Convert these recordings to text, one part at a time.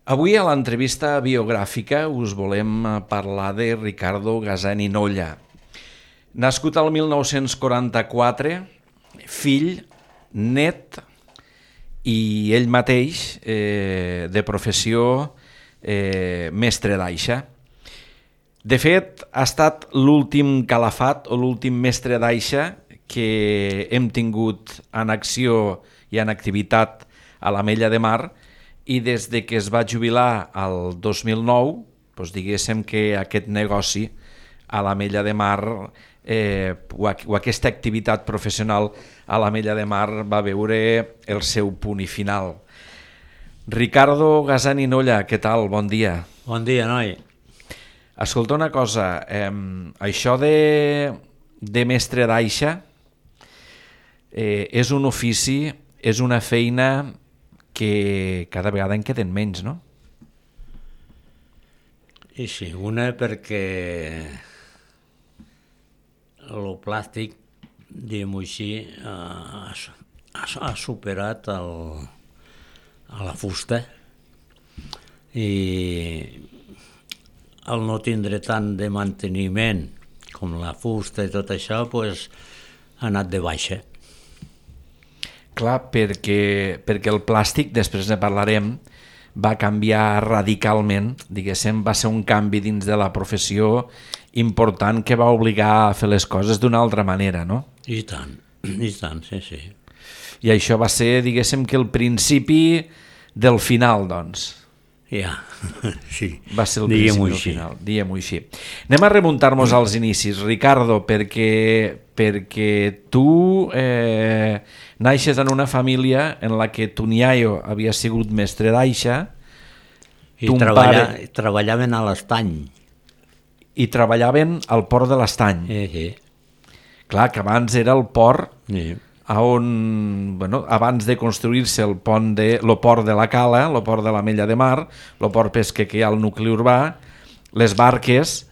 Avui a l'entrevista biogràfica us volem parlar de Ricardo Gasani Nolla. Nascut al 1944, fill, net i ell mateix de professió mestre d'aixa. De fet, ha estat l'últim calafat o l'últim mestre d'aixa que hem tingut en acció i en activitat a l'Ametlla de Mar, i des de que es va jubilar el 2009, doncs diguéssim que aquest negoci a l'Ametlla de Mar o aquesta activitat professional a l'Ametlla de Mar va veure el seu punt i final. Ricardo Gasani Nolla, què tal? Bon dia. Bon dia, noi. Escolta una cosa, això de mestre d'aixa és un ofici, és una feina que cada vegada en queden menys, no? I sí, una perquè el plàstic, diguem-ho així, ha superat a la fusta i al no tindre tant de manteniment com la fusta i tot això, doncs, ha anat de baixa. Clar, perquè el plàstic, després ne parlarem, va canviar radicalment, diguéssim, va ser un canvi dins de la professió important que va obligar a fer les coses d'una altra manera, no? I tant, sí, sí. I això va ser, diguéssim, que el principi del final, doncs. Ja, sí. Va ser el principi del final, diguem-ho així. Anem a remuntar-nos als inicis, Ricardo, perquè tu naixes en una família en la que ton iaio havia sigut mestre d'aixa i treballaven a l'estany. I treballaven al port de l'Estany. Sí. Clar, que abans era el port Sí. on, abans de construir-se el port de la Cala, el port de l'Ametlla de Mar, el port pesquer que hi ha al nucli urbà, les barques,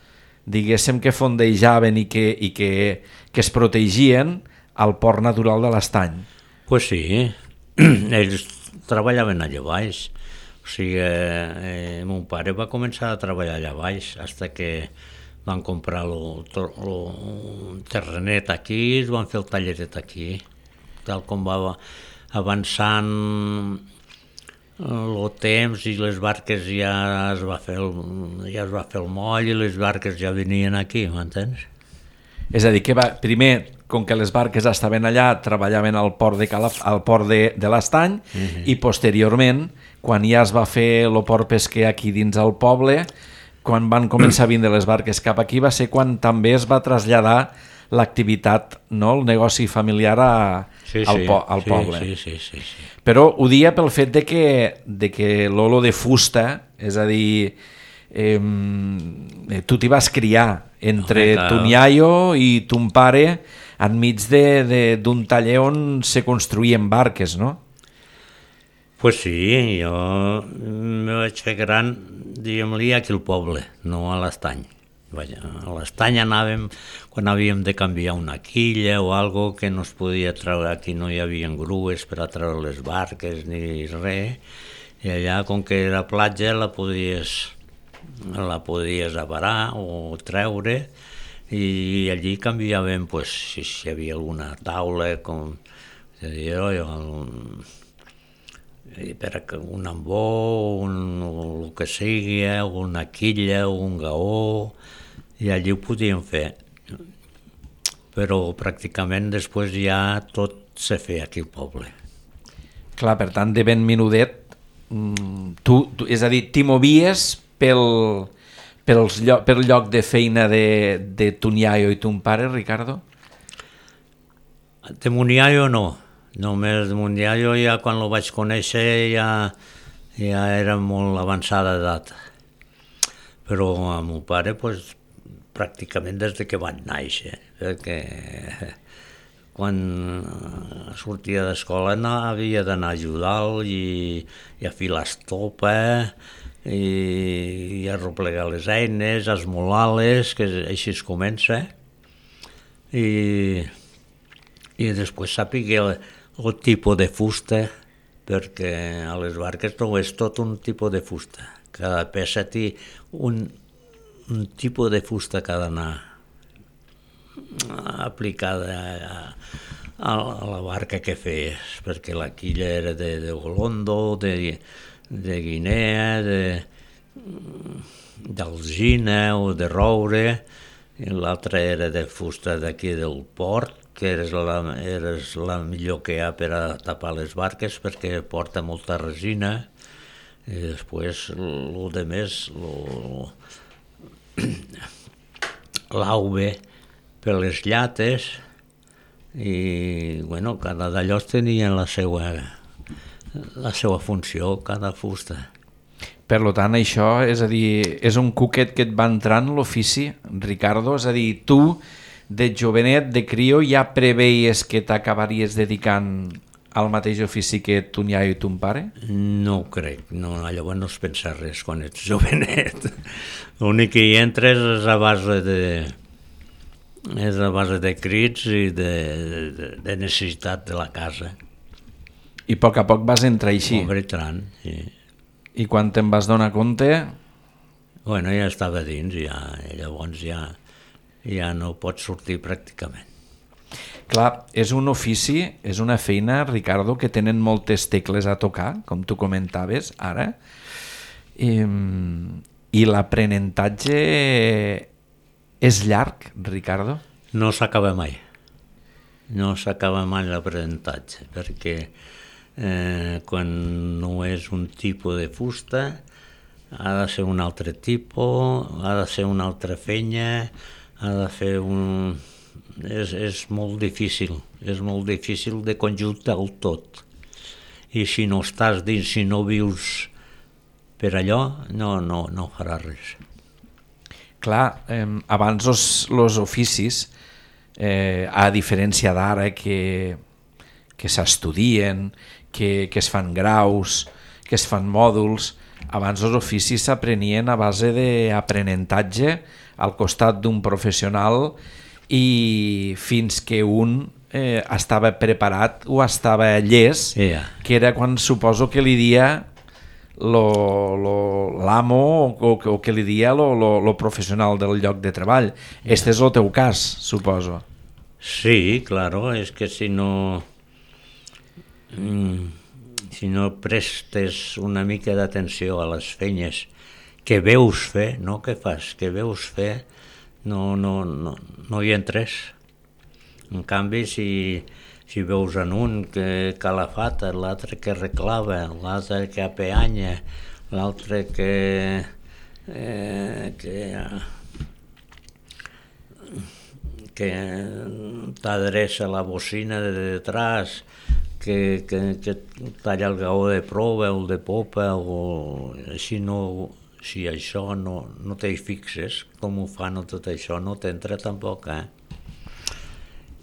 diguéssim que fondejaven i que es protegien al port natural de l'Estany. Pues sí, ells treballaven allà baix. O sigui, mon pare va començar a treballar allà baix fins que van comprar el terrenet aquí, es van fer el talleret aquí. Tal com va avançant el temps i les barques ja es va fer el moll i les barques ja venien aquí, m'entens? És a dir, que primer, com que les barques estaven allà, treballaven al port de l'Estany, i posteriorment, quan ja es va fer el port pesquer aquí dins el poble, quan van començar a vindre les barques cap aquí, va ser quan també es va traslladar l'activitat, no? El negoci familiar al poble. Sí. Però ho dia pel fet de que l'olo de fusta, és a dir, tu t'hi vas criar entre ton iaio i ton pare enmig d'un taller on se construïen barques, no? Pues sí, jo me vaig fer gran, diguem-li, aquí al poble, no a l'estany. A l'estany anàvem quan havíem de canviar una quilla o algo que no es podia treure, aquí no hi havia grues per a treure les barques ni res, i allà, com que era platja, la podies avarar o treure, i allí canviàvem, pues, si hi havia alguna taula, com per un ambó, el que sigui, una quilla, un gaó, i allí ho podíem fer. Però pràcticament després ja tot se feia aquí al poble. Clar, per tant, de ben menudet, és a dir, t'hi movies pel lloc de feina de ton iaio i ton pare, Ricardo? De mon iaio no. Només de mon iaio ja quan el vaig conèixer ja era molt avançada d'edat. Però a mon pare, pues, pràcticament des de que van néixer, perquè quan sortia d'escola havia d'anar a ajudar-lo i a filar estopa i a replegar les eines, a esmolar-les, que així es comença. I després sàpiga el tipus de fusta perquè a les barques no és tot un tipus de fusta. Cada peça té un tipus de fusta que ha d'anar aplicada a la barca que fes, perquè la quilla era de Golondo, de Guinea, d'alzina o de roure, i l'altra era de fusta d'aquí del port, que era la millor que hi ha per a tapar les barques perquè porta molta resina, i després el de més, l'auve per les llates, i bueno, cada d'allò tenia la seva funció, cada fusta. Per tant, això, és a dir, és un cuquet que et va entrar en l'ofici, Ricardo? És a dir, tu, de jovenet, de crio, ja preveies que t'acabaries dedicant al mateix ofici que ton iaio i ton pare? No ho crec, no, llavors no es pensa res quan ets jovenet. L'únic que hi entres és a base de crits i de necessitat de la casa. I a poc vas entrar així? Pobre tran, sí. I quan te'n vas donar compte? Bueno, ja estava dins, llavors ja no pots sortir pràcticament. Clar, és un ofici, és una feina, Ricardo, que tenen moltes tecles a tocar, com tu comentaves ara, i l'aprenentatge és llarg, Ricardo? No s'acaba mai. No s'acaba mai l'aprenentatge, perquè quan no és un tipus de fusta ha de ser un altre tipus, ha de ser una altra fenya, ha de fer un... És molt difícil de conjuntar el tot. I si no estàs dins, si no vius per allò, no faràs res. Clar, abans els oficis, a diferència d'ara que s'estudien, que es fan graus, que es fan mòduls, abans els oficis s'aprenien a base d'aprenentatge al costat d'un professional i fins que un estava preparat o estava llest, que era quan suposo que li dia l'amo o que li dia lo professional del lloc de treball. Este és el teu cas, suposo. Sí, claro, és que si no prestes una mica d'atenció a les feines que veus fer, no que fas, que veus fer, no hi entres. En canvi, si veus en un que calafata, l'altre que reclava, l'altre que apeanya, l'altre que t'adreça la bocina de detrás, que talla el gaó de proa o el de popa, o si això no t'hi fixes, com ho fan o tot això, no t'entra tampoc,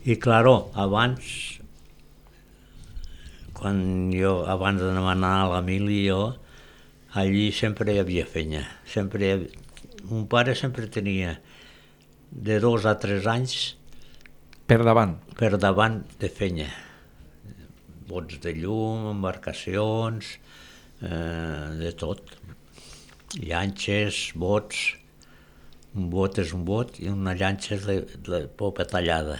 I, claro, abans de demanar a la mili, allí sempre hi havia fenya. Mon pare sempre tenia de 2 a 3 anys per davant de fenya. Bots de llum, embarcacions, de tot. Llanxes, bots. Un bot és un bot i una llanxa és de popa tallada.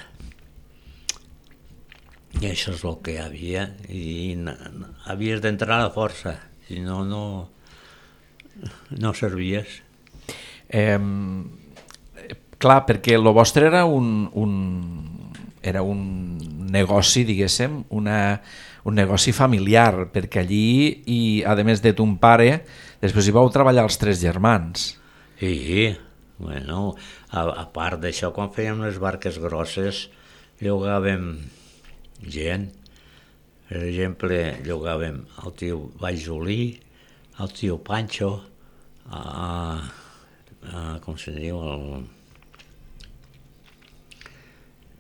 I això és el que hi havia, i havies d'entrar a la força, si no servies. Clar, perquè el vostre era un negoci, diguéssim, un negoci familiar, perquè allí, i a més de ton pare, després hi vau treballar els 3 germans. Sí, bueno, a part d'això, quan fèiem les barques grosses, llogàvem gent. Per exemple, llogàvem el tio Valljolí, el tio Pancho, com se diu,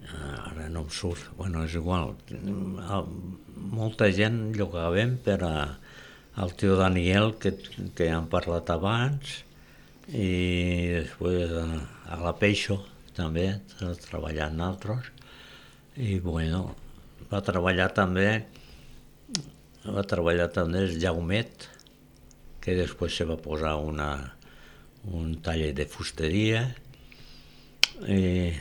ara no em surt, bueno, és igual, molta gent llogàvem per al tio Daniel, que hem parlat abans, i després a la Peixo també, treballant altres, i bueno, va treballar també va treballar també el Jaumet, que després se va posar un taller de fusteria, i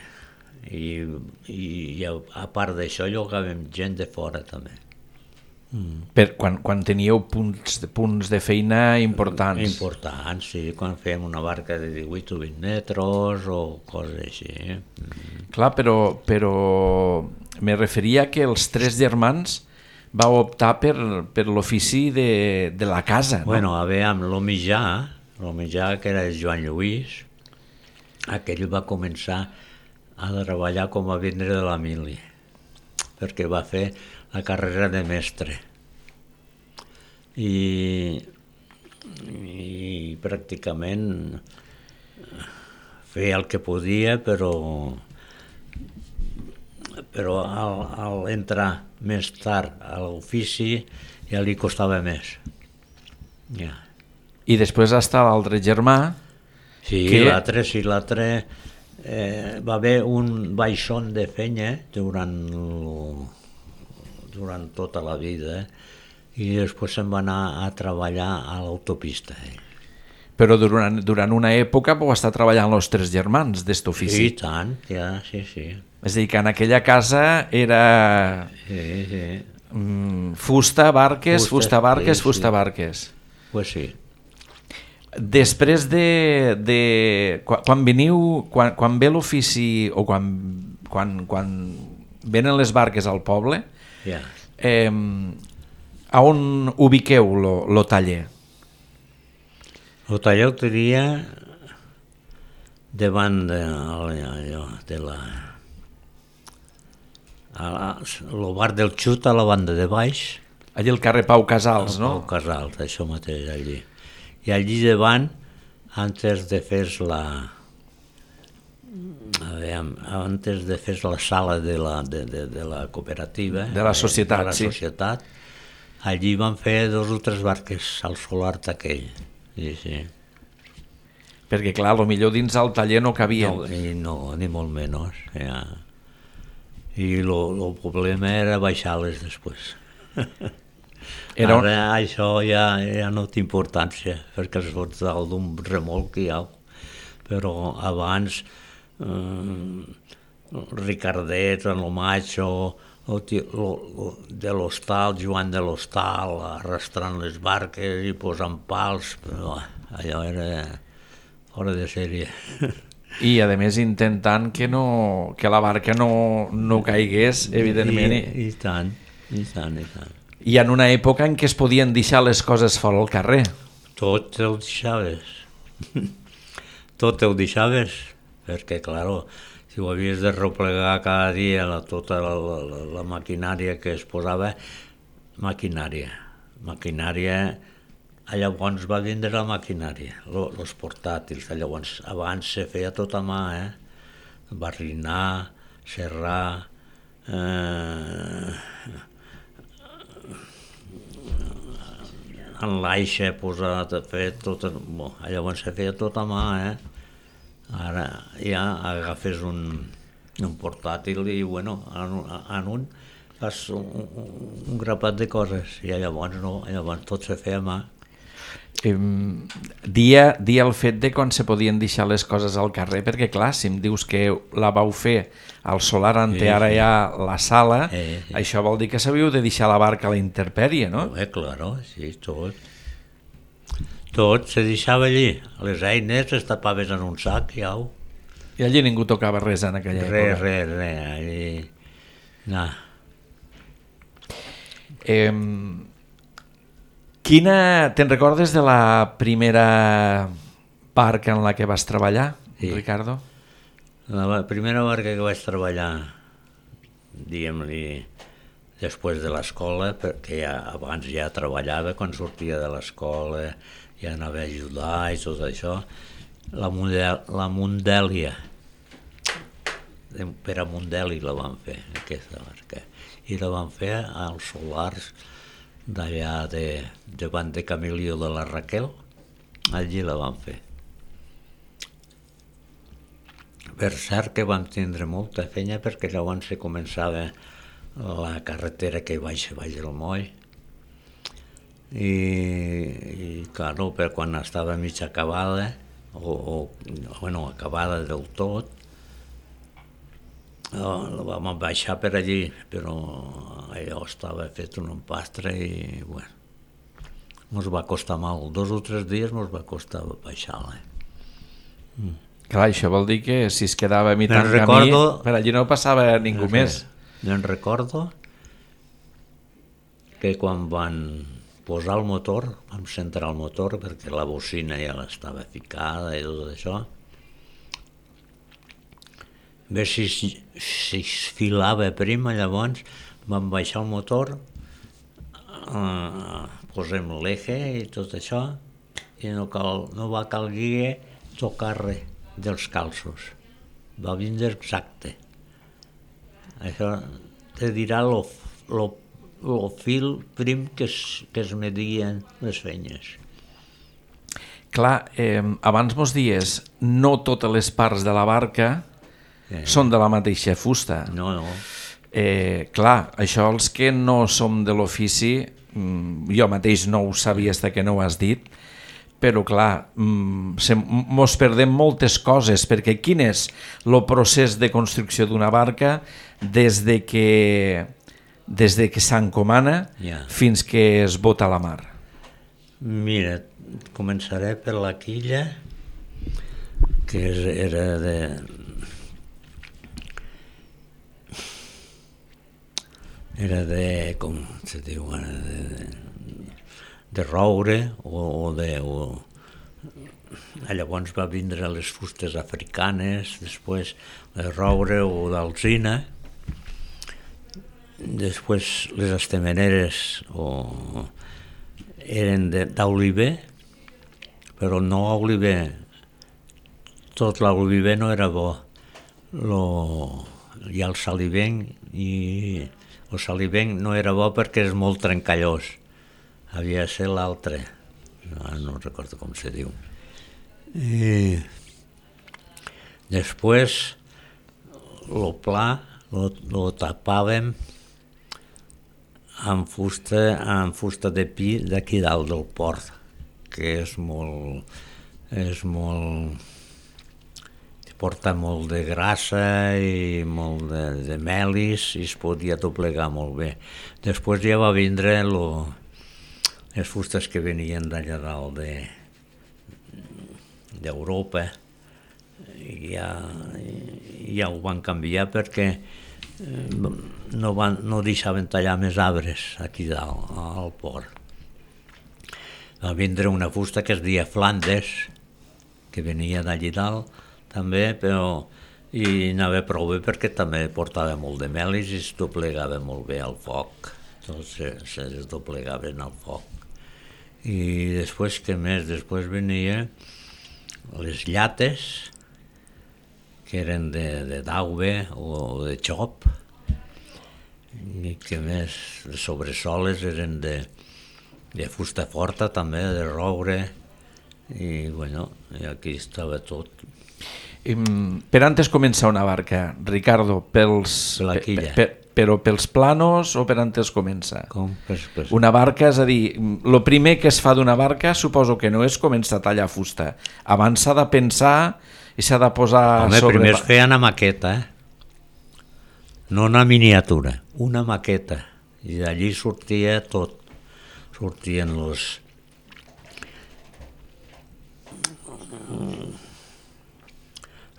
a part d'això llogàvem gent de fora també. Quan teníeu punts de feina importants. Importants, sí, quan fèiem una barca de 18 o 20 metres o coses així. Clar, però me referia que els 3 germans vau optar per l'ofici de la casa, no? Bueno, aviam, el mitjà, que era el Joan Lluís, aquell va començar a treballar com a vendre de la mili, perquè va fer la carrera de mestre. I pràcticament feia el que podia, però al entrar més tard a l'ofici ja li costava més. Ja. I després està l'altre germà. Sí, l'altre va haver un baixón de feina durant tota la vida, i després se'n va anar a treballar a l'autopista. Però durant una època vau estar treballant els 3 germans d'est ofici. Sí, tant, ja, sí. És a dir, que en aquella casa era fusta, barques, fusta, barques. Pues sí. Després quan ve l'ofici o quan venen les barques al poble, a on ubiqueu lo taller? El taller el tenia davant de el bar del Xut, a la banda de baix. Allí al carrer Pau Casals, no? Pau Casals, això mateix, allí. I allí davant, antes de fer la sala de la cooperativa, de la societat, allí van fer 2 o 3 barques al solar aquell. Sí. Perquè clar, potser dins el taller no cabien. No, ni molt menys. Ja. I el problema era baixar-les després. Ara això ja no té importància, perquè es fots dalt d'un remolc i au. Però abans Ricardet, en el Macho, de l'hostal, Joan de l'hostal, arrastrant les barques i posant pals, allò era fora de sèrie. I a més intentant que la barca no caigués, evidentment. I tant. I en una època en què es podien deixar les coses fora al carrer. Tot ho deixaves, perquè, clar, si ho havies de replegar cada dia tota la maquinària que es posava, maquinària, llavors va vindre la maquinària, els portàtils, llavors abans se feia tot a mà, barrinar, serrar, en l'aixa posat a fer tot, llavors se feia tot a mà, Ara ja agafes un portàtil i, en un fas un grapat de coses, i llavors tot se feia a mà. Dia el fet de quan se podien deixar les coses al carrer, perquè clar, si em dius que la vau fer al solar ante ara hi ha la sala, això vol dir que sabíeu de deixar la barca a la intempèrie, no? Claro, sí, tot se deixava allí, les eines es tapaves en un sac i au. I allí ningú tocava res en aquella època? Res, allí... No. Te'n recordes de la primera barca en la que vas treballar, Ricardo? La primera barca que vaig treballar, diguem-li, després de l'escola, perquè abans ja treballava, quan sortia de l'escola ja anava a ajudar i tot això, la Mundèlia, per a Mundèlia la van fer, aquesta barca, i la van fer als solars d'allà davant de Camilio de la Raquel, allí la van fer. Per cert que vam tindre molta feina, perquè llavors se començava la carretera que baixa al moll, i claro, per quan estava mig acabada, bueno, acabada del tot, la vam baixar per allí, però allò estava fet un empastre i, bueno, ens va costar mal. 2 o 3 dies ens va costar baixar-la. Clar, això vol dir que si es quedava a mitjà camí, recordo- per allí no passava ningú més. Me'n recordo que quan van posar el motor, vam centrar el motor perquè la bocina ja l'estava ficada i tot això, a veure si es filava prima, llavors vam baixar el motor, posem l'eje i tot això, i no va calguer tocar res dels calços. Va vindre exacte. Això te dirà el fil prim que es medien les feines. Clar, abans mos dies, no totes les parts de la barca són de la mateixa fusta. No. Clar, això els que no som de l'ofici, jo mateix no ho sabia fins que no ho has dit, però clar, mos perdem moltes coses, perquè quin és el procés de construcció d'una barca des de que s'encomana fins que es bota a la mar? Mira, començaré per la quilla, que era de com se diu, de roure llavors va vindre les fustes africanes, després de roure o d'alzina, després les estemeneres eren d'oliver, però no oliver, tot l'oliver no era bo, hi ha el salivenc i el salivenc no era bo perquè és molt trencallós, havia de ser l'altre, no recordo com se diu. I després el pla lo tapàvem amb fusta de pi d'aquí dalt del port, que és molt porta molt de grassa i molt de melis i es podia doblegar molt bé. Després ja va vindre les fustes que venien d'allà dalt d'Europa i ja ho van canviar perquè no deixaven tallar més arbres aquí dalt al port. Va vindre una fusta que es deia Flandes, que venia d'allí dalt també, però i anava prou bé perquè també portava molt de melis i es doblegava molt bé al foc, tots se doblegaven al foc. I després, què més? Després venia les llates, que eren de daube o de xop, i què més? Les sobresoles eren de fusta forta també, de roure, i bueno, i aquí estava tot. Per antes començar una barca, Ricardo, però pels planos o per antes comença? Com? Una barca, és a dir, el primer que es fa d'una barca suposo que no és començar a tallar fusta. Abans s'ha de pensar i s'ha de posar sobre... Primer es feia una maqueta, no una miniatura, una maqueta, i d'allí sortia tot.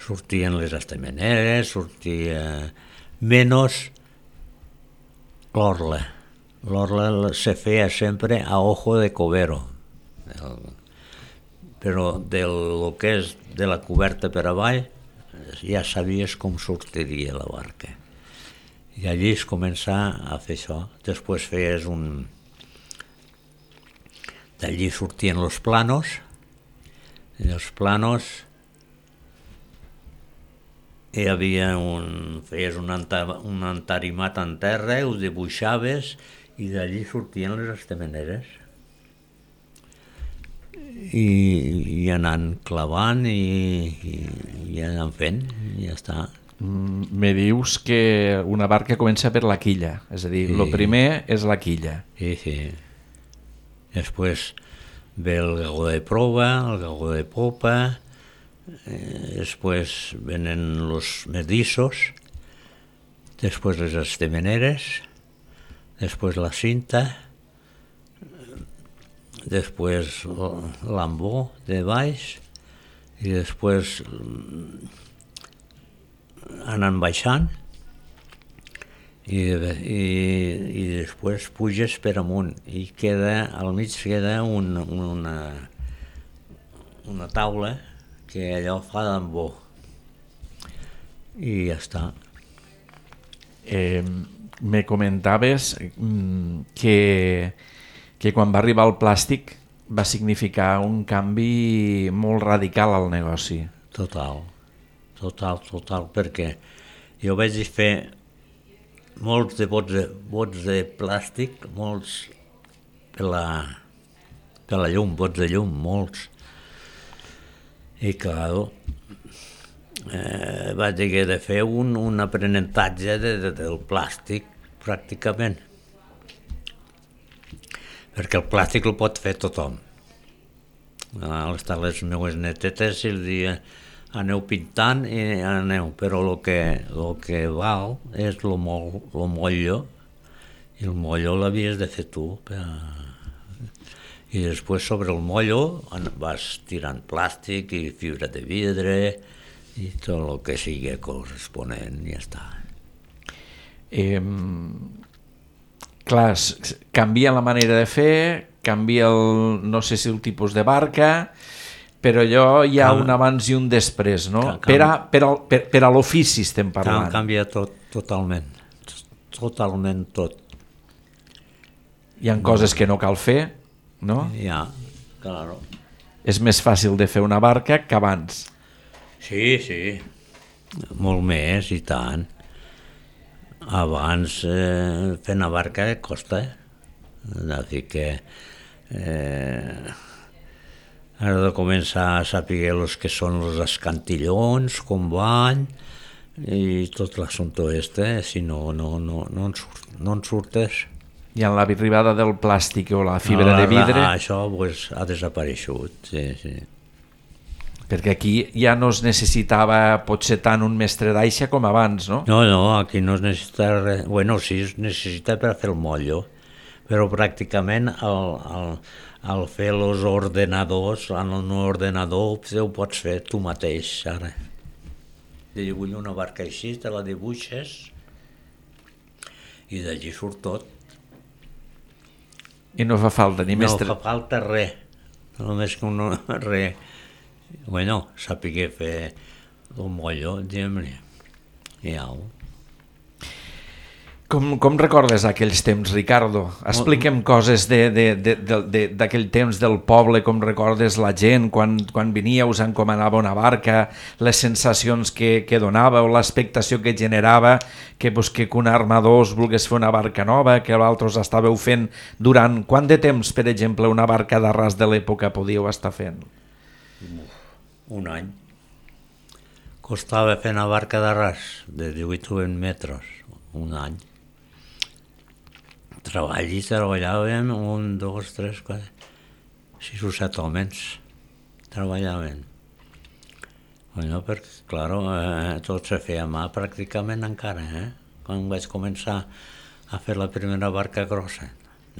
Sortien les estemeneres, sortia menys l'orla. L'orla se feia sempre a ojo de cobero, però del que és de la coberta per avall ja sabies com sortiria la barca. I allí es comença a fer això. Després feies d'allí sortien els planos, i els planos hi havia feies un entarimat en terra, ho dibuixaves i d'allí sortien les estemeneres. I anant clavant i anant fent, i ja està. Me dius que una barca comença per la quilla, és a dir, el primer és la quilla. Sí. Després ve el gagó de prova, el gagó de popa, després venen los medissos, després les estemeneres, després la cinta, després l'ambó de baix i després anant baixant i després puges per amunt i al mig queda una taula que allò fa d'ambó i ja està. Me comentaves que quan va arribar el plàstic va significar un canvi molt radical al negoci. Total, perquè jo vaig fer molts de bots de plàstic, molts per la llum, bots de llum, molts. I clar, vaig haver de fer un aprenentatge del plàstic, pràcticament. Perquè el plàstic el pot fer tothom. Les meves netetes i el dia aneu pintant i aneu, però el que val és el mollo, i el mollo l'havies de fer tu. I després sobre el mollo vas tirant plàstic i fibra de vidre i tot el que sigui corresponent i ja està. Clar, canvia la manera de fer, canvia no sé si el tipus de barca, però allò hi ha un abans i un després, no? Per a l'ofici estem parlant. Canvia tot, totalment tot. Hi ha coses que no cal fer, no? Ja, claro. És més fàcil de fer una barca que abans. Sí, molt més i tant. Abans fer una barca costa, així que has de començar a saber els que són els escantillons, com van, i tot l'assumpte si no en surtes. I en l'arribada del plàstic o la fibra de vidre... Això ha desapareixut, sí. Perquè aquí ja no es necessitava potser tant un mestre d'aixa com abans, no? No, aquí no es necessita res. Bueno, sí, es necessita per fer el mollo, però pràcticament al fer els ordenadors, en un ordenador ho pots fer tu mateix, ara. Jo vull una barca així, te la dibuixes i d'allí surt tot. I no fa falta ni mestre... No fa falta res, només que res. Bueno, sàpiga fer el mollo, diguem-ne. Ja. Com recordes aquells temps, Ricardo? Explica'm coses d'aquell temps del poble, com recordes la gent, quan venia, us encomanava una barca, les sensacions que donava o l'expectació que generava, que un armador us volgués fer una barca nova, que vosaltres estàveu fent durant... Quant de temps, per exemple, una barca d'arràs de l'època podíeu estar fent? Un any. Costava fer una barca d'arràs de 18 o 20 metres, un any. Treballàvem 1, 2, 3, 4, 6 o 7 homes. Treballaven. Bueno, perquè, clar, tot se feia a mà pràcticament encara, quan vaig començar a fer la primera barca grossa.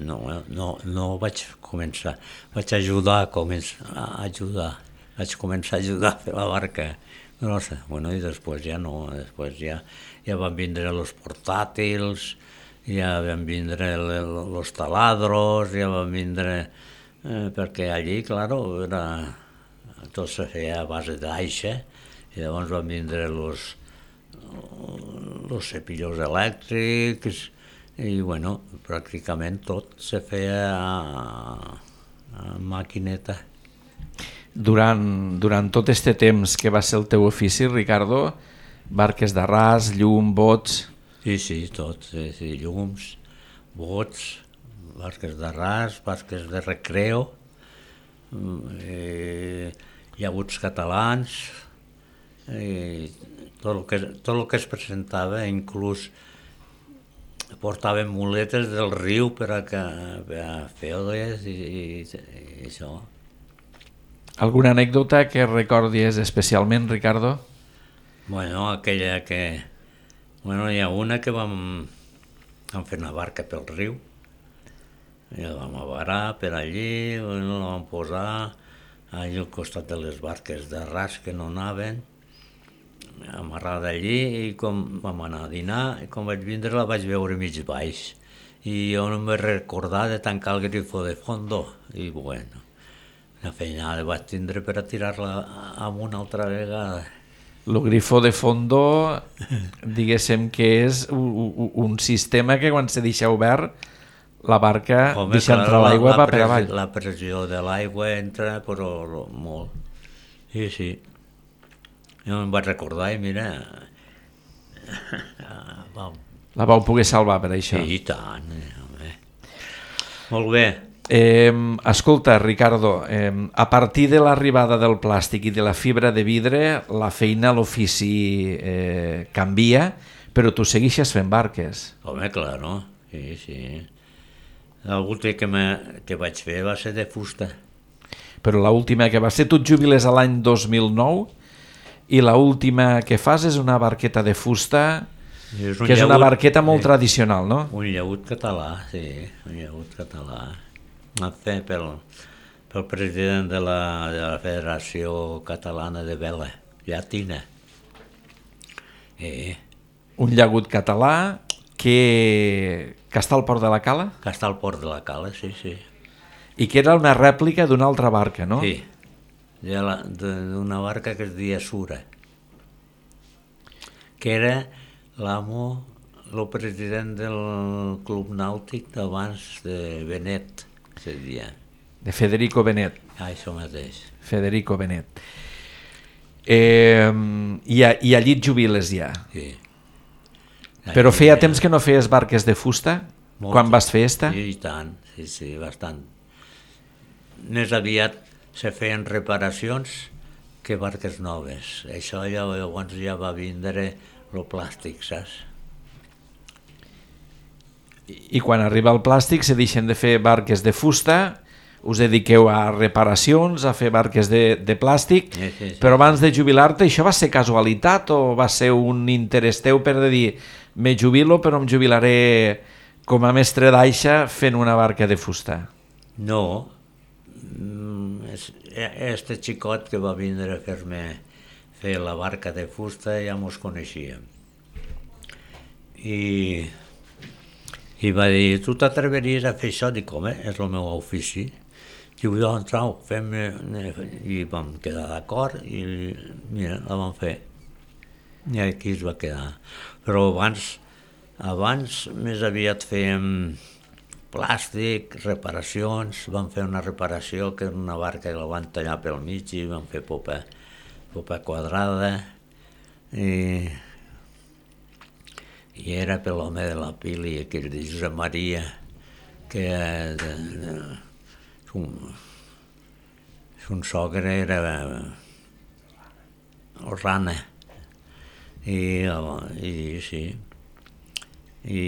No vaig començar, vaig ajudar vaig començar a ajudar a fer la barca grossa. Bueno, i després ja no, després ja van vindre els portàtils, ja van vindre els taladros, ja van vindre... perquè allí, claro, tot se feia a base d'aixa, i llavors van vindre els cepillos elèctrics, i bueno, pràcticament tot se feia a maquineta. Durant tot aquest temps que va ser el teu ofici, Ricardo, barques d'arràs, llum, bots... Sí, tot, sí, llums, bots, barques d'arràs, barques de recreo, llaguts catalans, tot el que es presentava, inclús portaven muletes del riu per a fer-les i això. Alguna anècdota que recordies especialment, Ricardo? Bueno, aquella que... Bueno, hi ha una que vam fer una barca pel riu, i la vam avarar per allí, la vam posar allà al costat de les barques de ras que no anaven, amarrada allí, i com vam anar a dinar, i com vaig vindre la vaig veure mig baix. I jo no em vaig recordar de tancar el grifo de fondo, i bueno, la feinada vaig tindre per a tirar-la amunt altra vegada. El grifo de fondo, diguéssim que és un sistema que quan se deixa obert, la barca deixa entrar l'aigua va per avall. La pressió de l'aigua entra, però molt. Sí, sí. Jo em vaig recordar i mira... La vau poder salvar per això. Sí, i tant. Molt bé. Escolta, Ricardo, a partir de l'arribada del plàstic i de la fibra de vidre, la feina, l'ofici canvia, però tu segueixes fent barques. Home, clar, no? Sí, sí. L'última que vaig fer va ser de fusta. Però l'última que va ser, tu et jubiles a l'any 2009 i l'última que fas és una barqueta de fusta, que és una barqueta molt tradicional, no? Un llaüt català, sí, un llaüt català. Vam fer pel president de la Federació Catalana de Vela, llatina. Un llaüt català que està al port de la Cala? Que està al port de la Cala, sí, sí. I que era una rèplica d'una altra barca, no? Sí, d'una barca que es deia Sura, que era l'amo, el president del club nàutic d'abans de Benet, se deia. De Federico Benet. Això mateix. Federico Benet. I allí et jubiles ja. Sí. Però feia temps que no feies barques de fusta? Quan vas fer esta? Sí, i tant, sí, sí, bastant. Més aviat se feien reparacions que barques noves. Això llavors ja va vindre el plàstic, saps? I quan arriba el plàstic se deixen de fer barques de fusta, us dediqueu a reparacions, a fer barques de plàstic, sí. Però abans de jubilar-te això va ser casualitat o va ser un interès teu per dir me jubilo però em jubilaré com a mestre d'aixa fent una barca de fusta? No, este xicot que va vindre a fer la barca de fusta ja mos coneixíem. I va dir, tu t'atreveries a fer això? Dic, home, és el meu ofici. Diu, doncs, trau, fem... I vam quedar d'acord i mira, la vam fer. I aquí es va quedar. Però abans més aviat fèiem plàstic, reparacions, vam fer una reparació que era una barca que la van tallar pel mig i vam fer popa quadrada i era per l'home de la Pili, aquell de Josep Maria, que son sogre era Rana, i sí. I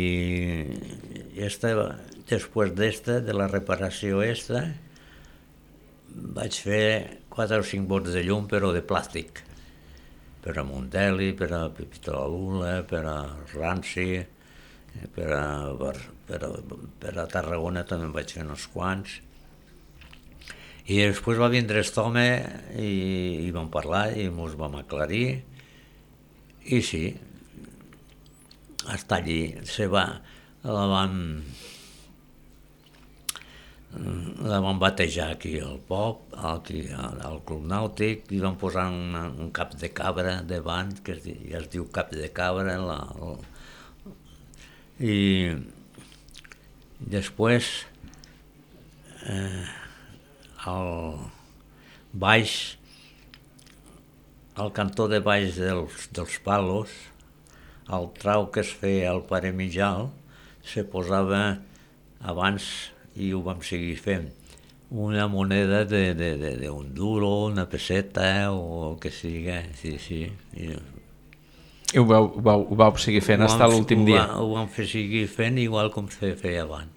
després de la reparació vaig fer 4 o 5 bots de llum, però de plàstic, per a Monteli, per a Pepito la Lula, per a Ranci, per a Tarragona també en vaig fer uns quants. I després va vindre aquest home i vam parlar i ens vam aclarir, i sí, està allí, la van batejar aquí al pop, aquí al club nàutic, i van posar un cap de cabra davant, que ja es diu cap de cabra, i després al baix, al cantó de baix dels palos, el trau que es feia al pare Mijal se posava abans, i ho vam seguir fent, una moneda d'un duro, una peseta o el que sigui, sí. I ho vau seguir fent fins a l'últim dia. Ho vam fer seguir fent igual com se feia abans.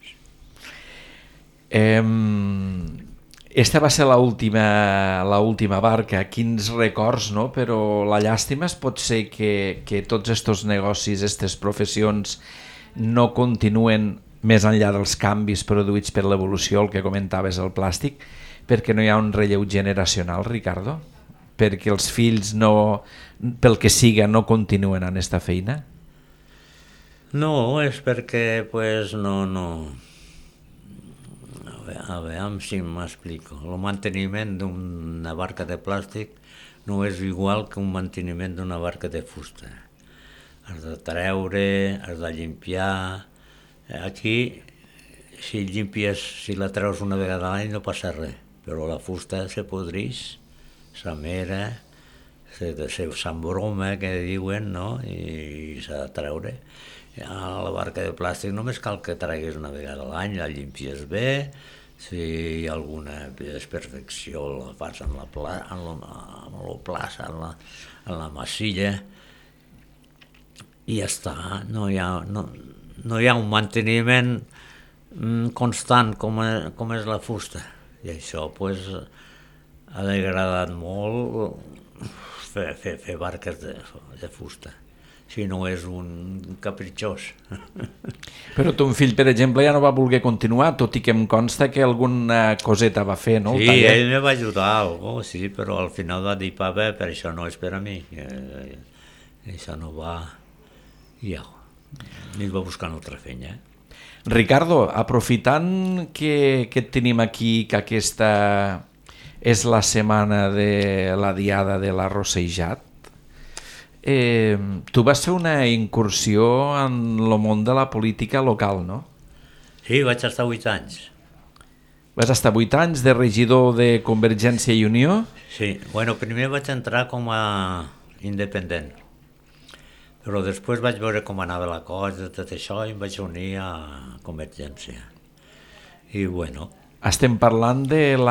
Esta va ser l'última barca. Quins records, no? Però la llàstima pot ser que tots estos negocis, aquestes professions no continuen més enllà dels canvis produïts per l'evolució, el que comentaves, el plàstic, perquè no hi ha un relleu generacional, Ricardo? Perquè els fills no, pel que siga, no continuen en esta feina? No, és perquè pues, no. A veure si m'explico. El manteniment d'una barca de plàstic no és igual que un manteniment d'una barca de fusta. Has de treure, has de limpiar. Aquí, si la treus una vegada a l'any no passa res, però la fusta se podreix, s'amera, s'embroma, que diuen, no? I s'ha de treure. A la barca de plàstic només cal que treguis una vegada a l'any, la llimpies bé, si hi ha alguna desperfecció la fas en la plaça, en la massilla, i ja està. No hi ha un manteniment constant com és la fusta. I això pues, ha degradat molt fer barques de fusta. Si no és un capritxós. Però ton fill, per exemple, ja no va voler continuar, tot i que em consta que alguna coseta va fer, no? Sí, ell me va ajudar algo, sí, però al final va dir, papa, per això no és per a mi. Això no va... I ja, ell va buscar una altra feina. Ricardo, aprofitant que et tenim aquí, que aquesta és la setmana de la diada de l'arrossejat, tu vas fer una incursió en el món de la política local, no? Sí, vaig estar 8 anys. Vas estar 8 anys de regidor de Convergència i Unió? Sí, bueno, primer vaig entrar com a independent, però després vaig veure com anava la cosa, tot això, i em vaig unir a Convergència. I bueno... Estem parlant dels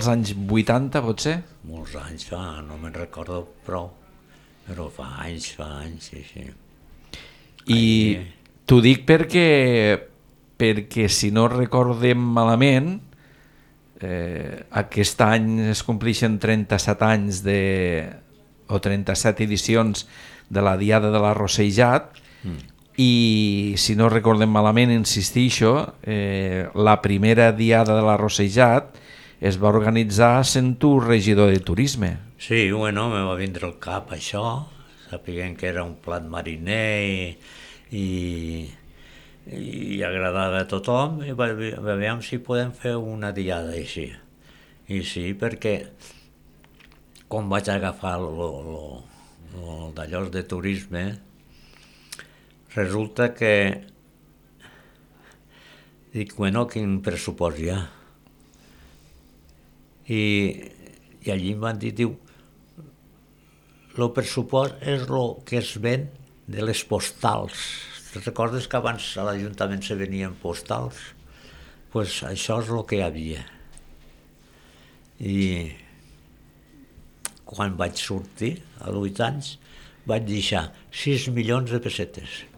anys 80, potser? Molts anys fa, no me'n recordo prou, però fa anys, sí. I t'ho dic perquè si no recordem malament, aquest any es compleixen 37 anys o 37 edicions de la Diada de l'Arrossejat, i si no recordem malament, insistixo, la primera Diada de l'Arrossejat es va organitzar sent tu regidor de turisme. Sí, bueno, me va vindre al cap això, sapiguent que era un plat mariner i agradava a tothom, i veiem si podem fer una diada així. I sí, perquè quan vaig agafar d'allò de turisme, resulta que dic, bueno, quin pressupost hi ha? I allí em van dir, diu, el pressupost és el que es ven de les postals. Te'n recordes que abans a l'Ajuntament se venien postals? Doncs això és el que hi havia. I quan vaig sortir, als 8 anys, vaig deixar 6 milions de pessetes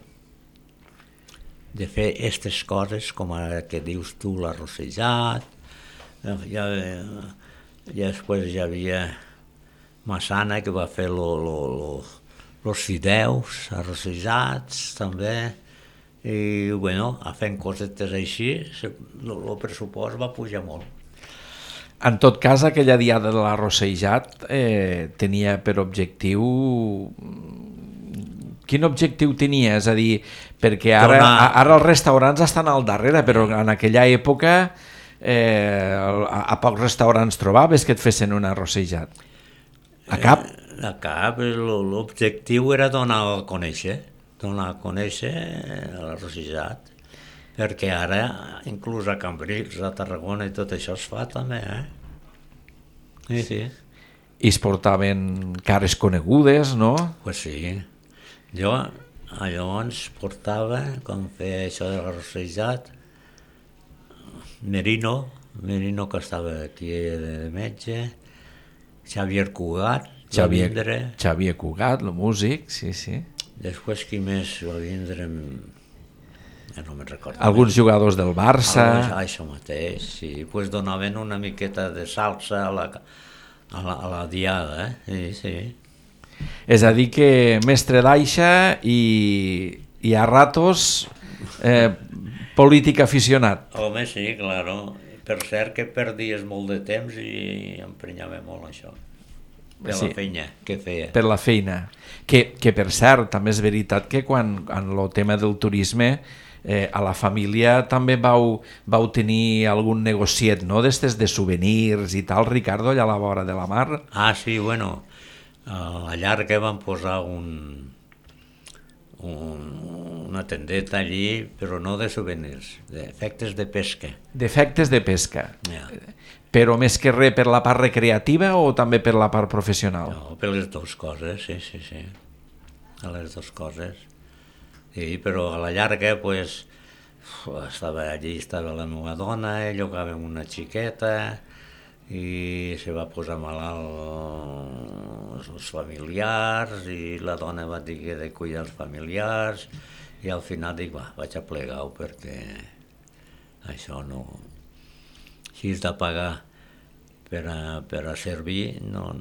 de fer aquestes coses com ara que dius tu, l'arrossejat, i després hi havia Massana que va fer los fideus arrossejats també, i bueno, fent cosetes així, el pressupost va pujar molt. En tot cas, aquella diada de l'arrossejat tenia per objectiu... Quin objectiu tenia? És a dir, perquè ara els restaurants estan al darrere, però en aquella època a pocs restaurants trobaves que et fessin un arrossejat. A cap? A cap. L'objectiu era donar a conèixer l'arrossejat, perquè ara, inclús a Cambrils, a Tarragona i tot això es fa també, Sí. I es portaven cares conegudes, no? Pues sí. Jo llavors portava, com feia això de l'arrossejat, Merino que estava aquí de metge, Xavier Cugat, Xavier Cugat, el músic, sí, sí. Després qui més va vindre, no me'n recordo. Alguns jugadors del Barça. Això mateix, sí. Pues donaven una miqueta de salsa a la diada, sí. És a dir que mestre d'aixa i a ratos polític aficionat. Home, sí, claro. Per cert que perdies molt de temps i emprenyava molt això. Per la feina que feia. Per la feina. Que per cert, també és veritat que quan en el tema del turisme a la família també vau tenir algun negociet, no?, d'estes de souvenirs i tal, Ricardo, allà a la vora de la mar. Ah, sí, bueno, a Llarga van posar una tendeta allí, però no de souvenirs, d'efectes de pesca. D'efectes de pesca. Yeah. Però més que res per la part recreativa o també per la part professional? No, per les dues coses, sí. A les dues coses. Sí, però a la llarga, pues, estava la meva dona, llogàvem una xiqueta i se va posar malalt els familiars i la dona va dir que de cuidar els familiars i al final dic, vaig a plegar-ho perquè això no... Si és de pagar per a servir, no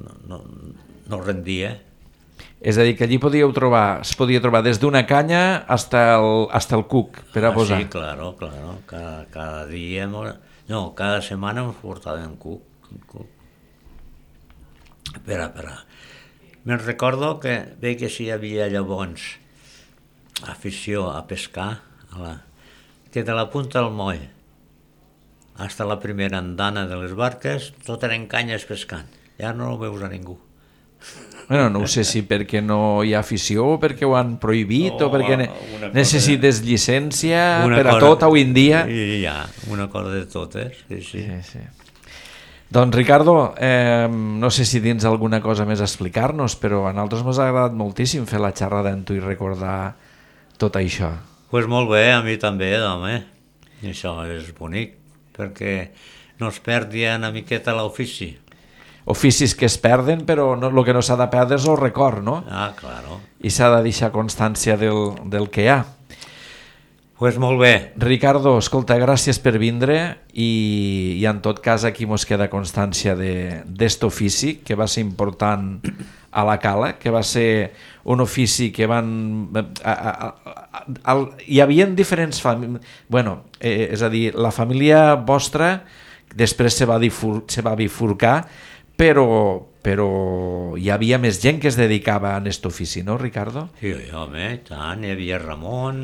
rendia. És a dir, que allí es podia trobar des d'una canya hasta el cuc per a posar. Sí, claro. Cada dia... No, cada setmana ens portàvem cuc. Espera. Me'n recordo que veig que si hi havia llavors afició a pescar, que de la punta del moll hasta la primera andana de les barques, tot eren canyes pescant. Ja no ho veus a ningú. Bueno, no ho sé si perquè no hi ha afició o perquè ho han prohibit o perquè necessites llicència per a tot avui en dia. Ja, una cosa de totes, sí. Doncs Ricardo, no sé si tens alguna cosa més a explicar-nos, però a nosaltres ens ha agradat moltíssim fer la xerrada amb tu i recordar tot això. Doncs molt bé, a mi també, home. Això és bonic, perquè no es perdi una miqueta l'ofici. Oficis que es perden, però el que no s'ha de perdre és el record, no? Ah, claro. I s'ha de deixar constància del que hi ha. Doncs molt bé. Ricardo, escolta, gràcies per vindre i en tot cas aquí mos queda constància d'est ofici que va ser important a la Cala, que va ser un ofici que van... Hi havia diferents famílies... Bueno, és a dir, la família vostra després se va bifurcar, però hi havia més gent que es dedicava a aquest ofici, no, Ricardo? Sí, home, tant. Hi havia Ramon,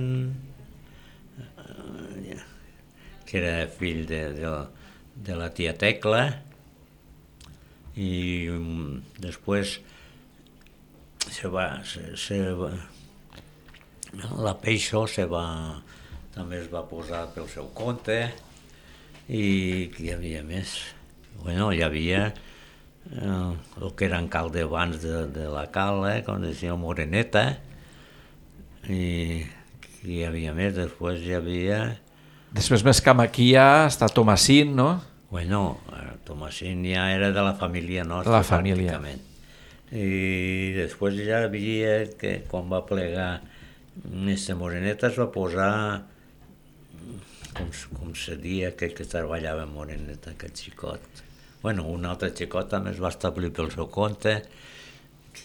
que era fill de la tia Tecla, i després la Peixo també es va posar pel seu compte, i hi havia més. Bueno, hi havia el que eren caldebans de la Cala, com deia Moreneta, i hi havia més. Després hi havia... Després més camp aquí ja està Tomasín, no? Bueno, Tomasín ja era de la família nostra, la família. Pràcticament. I després ja havia que quan va plegar Mr. Moreneta es va posar, com se dia, que treballava amb Moreneta, aquest xicot. Bueno, un altre xicot també es va establir pel seu compte,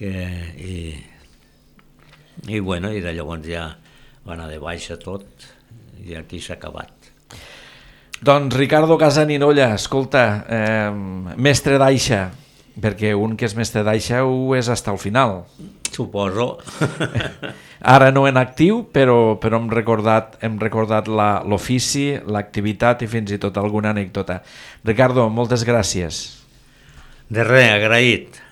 i bueno, i de llavors ja va anar de baixa tot, i aquí s'ha acabat. Doncs Ricardo Gazzaniga, escolta, mestre d'aixa, perquè un que és mestre d'aixa ho és fins al final. Suposo. Ara no en actiu, però hem recordat l'ofici, l'activitat i fins i tot alguna anècdota. Ricardo, moltes gràcies. De res, agraït.